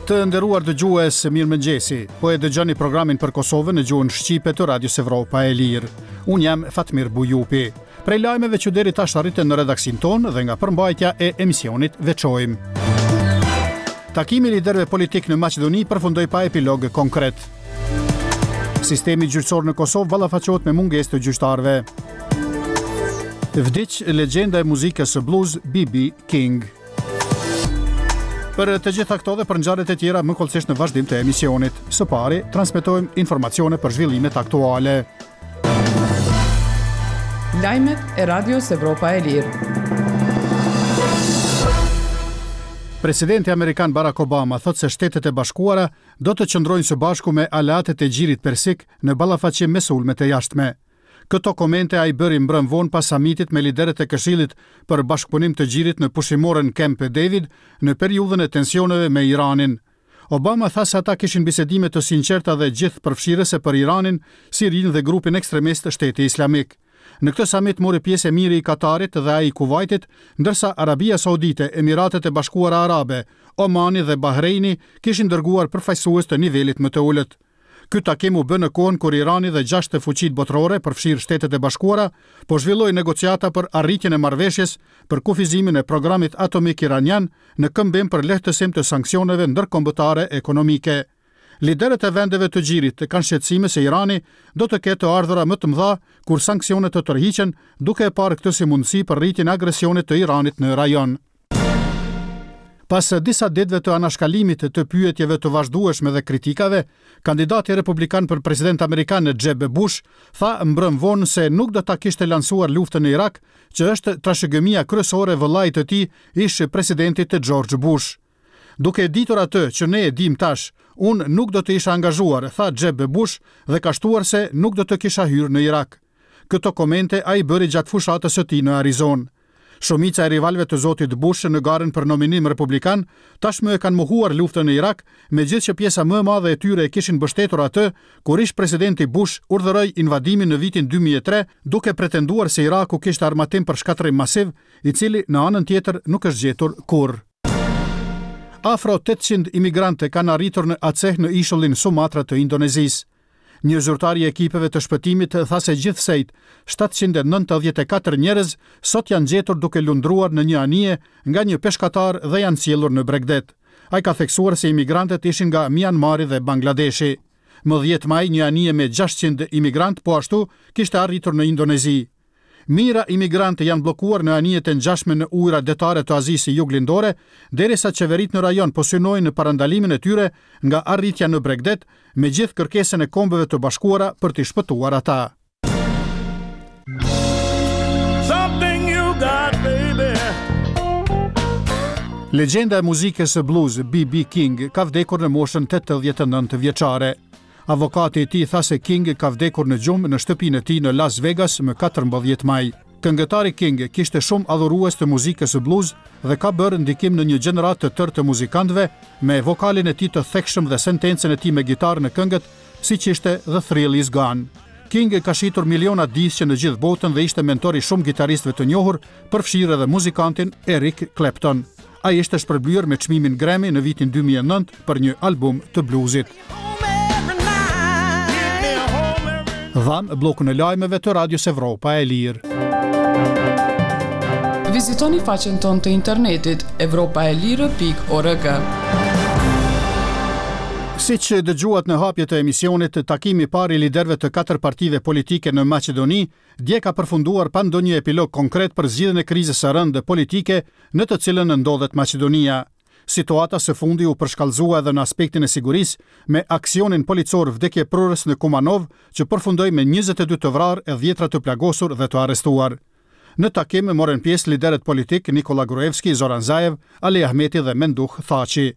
Të nderuar dëgjues, mirëmëngjesi. Po e dëgjoni programin për Kosovën në gjuhën shqipe të Radios Evropa e Lirë. Unë jam Fatmir Bujupi. Prej lajmeve që deri tash arritën në redaksinë tonë dhe nga përmbajtja e emisionit veçojmë. Takimi i liderëve politikë në Maqedoni përfundoi pa epilog konkret. Sistemi gjyqësor në Kosovë ballafaqohet me mungesë të gjyqtarëve. Vdiq legjenda e muzikës së blues B.B. King. Për të gjitha këto dhe për ngjarjet e tjera më hollësisht në vazhdim të emisionit. Së pari, transmetojmë informacione për zhvillimet aktuale. Lajmet e Radios Evropa e Lirë. Presidenti amerikan Barack Obama thotë se Shtetet e Bashkuara do të qëndrojnë së bashku me aleatët e Gjirit Persik në ballafaqim me sulmet e jashtme. Këto komente ai bëri mbrëmë vonë pas samitit me liderët e Këshillit për Bashkëpunim të Gjirit në pushimoren Camp David në periudhën e tensioneve me Iranin. Obama tha se ata kishin bisedime të sinqerta dhe gjithëpërfshirëse për Iranin, Sirinë dhe grupin ekstremist Shteti Islamik. Në këtë samit mori pjesë emiri i Katarit dhe ai i Kuvajtit, ndërsa Arabia Saudite, Emiratet e Bashkuara Arabe, Omani dhe Bahreini kishin dërguar përfaqësues të nivelit më të ulët. Ky takim u bë në kohën kur Irani dhe gjashtë fuqitë botërore, përfshirë Shtetet e Bashkuara, po zhvillojnë negociata për arritjen e marrëveshjes për kufizimin e programit atomik iranian në këmbim për lehtësim të sanksioneve ndërkombëtare ekonomike. Liderët e vendeve të Gjirit kanë shqetësime se Irani do të ketë të ardhura më të mëdha kur sanksionet të tërhiqen, duke e parë këtë si mundësi për rritjen e agresionit të Iranit në rajon. Pas disa ditëve të anashkalimit të pyetjeve të vazhdueshme dhe kritikave, kandidati republikan për president amerikan Jeb Bush tha mbrëmë vonë se nuk do ta kishte lansuar luftën në Irak, që është trashëgimia kryesore e vëllait të tij, ish-presidentit George Bush. Duke e ditur atë që ne e dimë tash, unë nuk do të isha angazhuar, tha Jeb Bush dhe ka shtuar se nuk do të kisha hyrë në Irak. Këto komente ai bëri gjatë fushatës së tij në Arizonë. Shumica e rivalëve të zotit Bush në garën për nominim republikan tashmë e kanë mohuar luftën në Irak, megjithëqë pjesa më e madhe e tyre e kishin mbështetur atë kur ish-presidenti Bush urdhëroi invadimin në vitin 2003, duke pretenduar se Iraku kishte armatim për shkatërrim masiv, i cili në anën tjetër nuk është gjetur kurrë. Afro 800 imigrantë kanë arritur në Aceh në ishullin Sumatra të Indonezisë. Një zyrtar i ekipeve të shpëtimit tha se gjithsejt 794 njerëz sot janë gjetur duke lundruar në një anije nga një peshkatar dhe janë sjellur në bregdet. Ai ka theksuar se imigrantët ishin nga Mianmari dhe Bangladeshi. Më 10 maj, një anije me 600 imigrantë po ashtu kishte arritur në Indonezi. Mijëra imigrantë janë bllokuar në anijet e ngjashme në ujërat detare të Azisë Juglindore, derisa qeveritë në rajon po synojnë në parandalimin e tyre nga arritja në bregdet, megjithë kërkesën e Kombeve të Bashkuara për t'i shpëtuar ata. Legjenda e muzikës blues B.B. King ka vdekur në moshën 89 vjeçare. Avokati i tij tha se King ka vdekur në gjumë në shtëpinë e tij në Las Vegas më 14 maj. Këngëtari King kishte shumë adhurues të muzikës blues dhe ka bërë ndikim në një gjeneratë të tërë të muzikantëve me vokalin e tij të thekshëm dhe sentencën e tij me gitarë në këngët, siç ishte The Thrill Is Gone. King ka shitur miliona disqe në gjithë botën dhe ishte mentor i shumë gitaristëve të njohur, përfshirë edhe muzikantin Eric Clapton. Ai ishte shpërblyer me çmimin Grammy në vitin 2009 për një album të bluzit. Dhamë bllokun e lajmeve të Radios Evropa e Lirë. Vizitoni faqen tonë të internetit evropaelire.org. Siç dëgjuat në hapje të emisionit, takimi i parë i liderëve të katër partive politike në Maqedoni dje ka përfunduar pa ndonjë epilog konkret për zgjidhjen e krizës së rëndë politike në të cilën ndodhet Maqedonia. Situata së fundi u përshkallëzua edhe në aspektin e sigurisë me aksionin policor vdekjeprurës në Kumanovë, që përfundoi me 22 të vrarë e dhjetra të plagosur dhe të arrestuar. Në takim morën pjesë liderët politikë Nikola Gruevski, Zoran Zaev, Ali Ahmeti dhe Menduh Thaçi.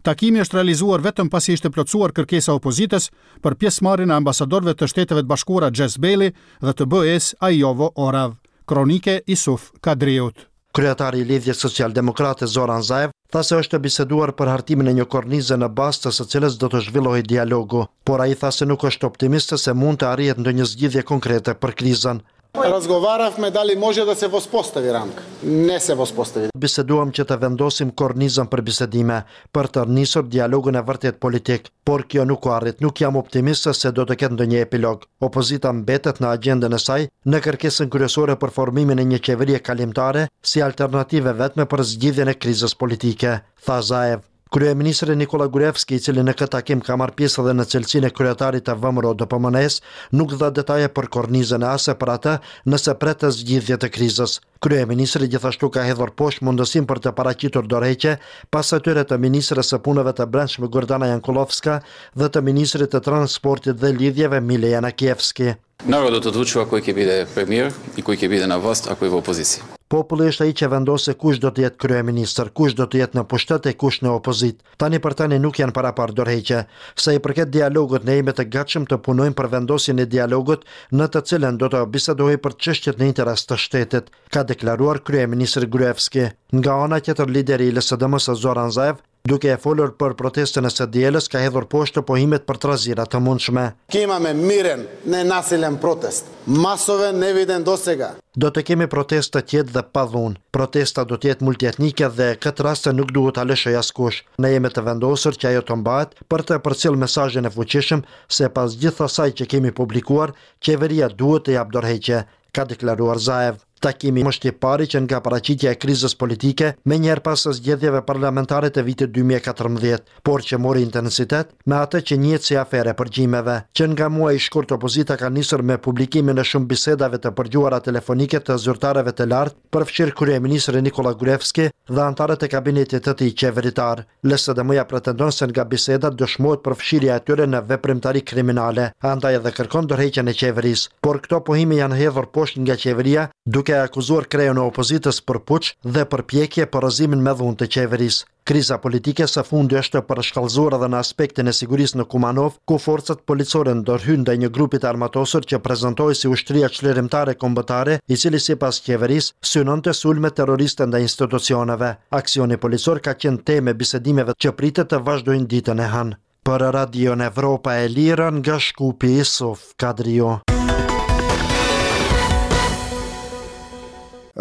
Takimi është realizuar vetëm pasi ishte plotësuar kërkesa e opozitës për pjesëmarrjen e ambasadorëve të Shteteve të Bashkuara Jess Bailey dhe të BE-së Aijovo Orav. Kronikë Isuf Kadriut. Kryetari i Lidhjes Socialdemokrate Zoran Zaev tha se është biseduar për hartimin e një kornize në bazë të së cilës do të zhvillohej dialogu, por ai tha se nuk është optimist se mund të arrihet ndonjë zgjidhje konkrete për krizën. Razgovaravme dali može da se vospostavi ramka. Ne se vospostavi. Biseduam që të vendosim kornizën për bisedime, për të nisur dialogun e vërtetë politik, por kjo nuk u arrit. Nuk jam optimist se do të ketë ndonjë epilog. Opozita mbetet në agjendën e saj, në kërkesën kryesore për formimin e një qeverie kalimtare si alternativë e vetme për zgjidhjen e krizës politike, tha Zaev. Kryeministri Nikolla Gruevski, i cili në këtë takim ka marrë pjesë edhe në cilësinë e kryetarit të VMRO-DPMNE-së, nuk dha detaje për kornizën e as për atë nëse pret zgjidhje të krizës. Kryeministri gjithashtu ka hedhur poshtë mundësinë për të paraqitur dorëheqje pas atyre të ministres së Punëve të Brendshme Gordana Jankullovska dhe të ministrit të Transportit dhe Lidhjeve Mile Janakievski. Narodот одлучува кој ќе биде премиер и кој ќе биде на власт, а кој во опозиција. Populli është ai që vendos se kush do të jetë kryeministër, kush do të jetë në pushtet e kush në opozitë. Tani për tani nuk janë paraparë dorëheqje. Sa i përket dialogut, ne jemi të gatshëm të punojmë për vendosjen e dialogut në të cilën do të bisedohej për çështjet në interes të shtetit, ka deklaruar kryeministri Gruevski. Nga ana tjetër, lideri i LSDM-së Zoran Zaev Duke e folur për protestën e së dielës, ka hedhur poshtë pohimet për trazira të mundshme. Ќе imame miren, nenasilen protest. Masoven, neviden dosega. Do të kemi protestë të qetë dhe pa dhunë. Protesta do të jetë multietnike dhe këtë rast nuk duhet ta lëshojë askush. Ne jemi të vendosur që ajo të mbahet për të përcjellë mesazhin e fuqishëm se pas gjithë asaj që kemi publikuar, qeveria duhet të japë dorëheqje, ka deklaruar Zaev. Takimi është i pari që nga paraqitja e krizës politike menjëherë pas zgjedhjeve parlamentare të vitit 2014, por që mori intensitet me atë që njihet si aferë e përgjimeve. Që nga muaji shkurt opozita ka nisur me publikimin e shumë bisedave të përgjuara telefonike të zyrtarëve të lartë, përfshirë kryeministrin Nikolla Gruevski dhe anëtarët e kabinetit të tij qeveritar. LSDM-ja pretendon se nga bisedat dëshmohet përfshirja e tyre në veprimtari kriminale, andaj edhe kërkon dorëheqjen e qeverisë. Por këto pohime janë hedhur poshtë nga qeveria, duke e akuzuar kreun e opozitës për puç dhe përpjekje për rrëzimin me dhunë të qeverisë. Kriza politike së fundi është përshkallëzuar edhe në aspektin e sigurisë në Kumanovë, ku forcat policore ndërhynë ndaj një grupi të armatosur që prezantohej si Ushtria Çlirimtare Kombëtare, i cili sipas qeverisë, synonte sulme terroriste ndaj institucioneve. Aksioni policor ka qenë temë e bisedimeve që pritet të vazhdojnë ditën e hënë. Për Radion Evropa e Lirë nga Shkupi Isuf Kadriu.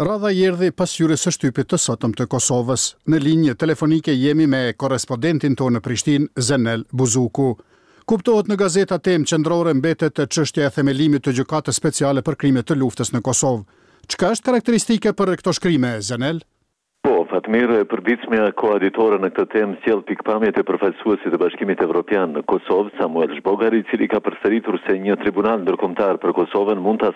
Radha i erdhi pasqyrës së shtypit të sotëm të Kosovës. Në linjë telefonike jemi me korrespondentin tonë në Prishtinë, Zenel Buzuku. Kuptohet në gazeta temë qendrore mbetet çështja e themelimit të Gjykatës Speciale për Krime të Luftës në Kosovë. Çka është karakteristike për këto shkrime, Zenel? Po, Fatmir, e përditshmja Koha Ditore në këtë temë sjell pikëpamjet e përfaqësuesit të Bashkimit Evropian në Kosovë, Samuel Zhbogar, i cili ka përsëritur se një tribunal ndërkombëtar për Kosovën mund ta.